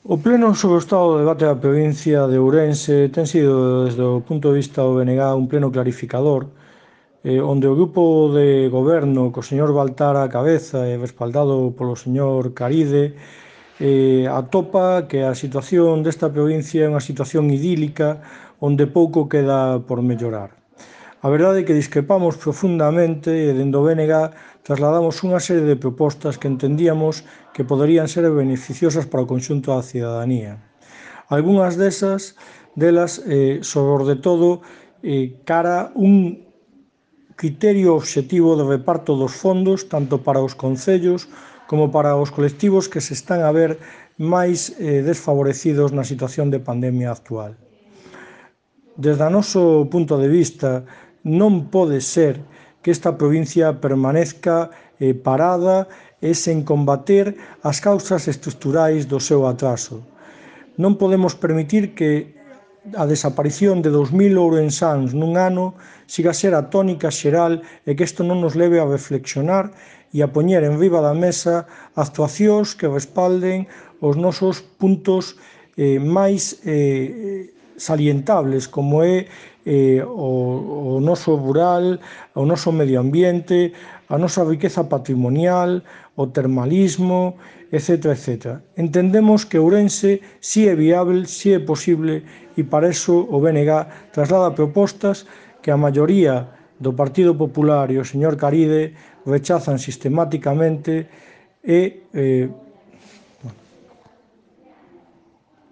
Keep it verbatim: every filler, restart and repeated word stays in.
O pleno sobre o estado do debate da provincia de Ourense ten sido, desde o punto de vista do B N G, un pleno clarificador, eh, onde o grupo de goberno, co señor Baltar á cabeza e respaldado polo señor Caride, eh, atopa que a situación desta provincia é unha situación idílica onde pouco queda por mellorar. A verdade é que discrepamos profundamente e dende o B N G trasladamos unha serie de propostas que entendíamos que poderían ser beneficiosas para o conxunto da cidadanía. Algúnas desas delas, eh, sobre todo, eh, cara un criterio obxectivo de reparto dos fondos tanto para os concellos como para os colectivos que se están a ver máis eh, desfavorecidos na situación de pandemia actual. Desde o noso punto de vista, non pode ser que esta provincia permanezca eh, parada e sen combater as causas estruturais do seu atraso. Non podemos permitir que a desaparición de dous mil ourensáns nun ano siga a ser a tónica xeral e que isto non nos leve a reflexionar e a poñer en riba da mesa actuacións que respalden os nosos puntos eh, máis eh, salientables, como é eh, o, o noso rural, o noso medio ambiente, a nosa riqueza patrimonial, o termalismo, etcétera, etcétera. Entendemos que Ourense si é viable, si é posible, e para iso o B N G traslada propostas que a maioría do Partido Popular e o señor Caride rechazan sistemáticamente e eh,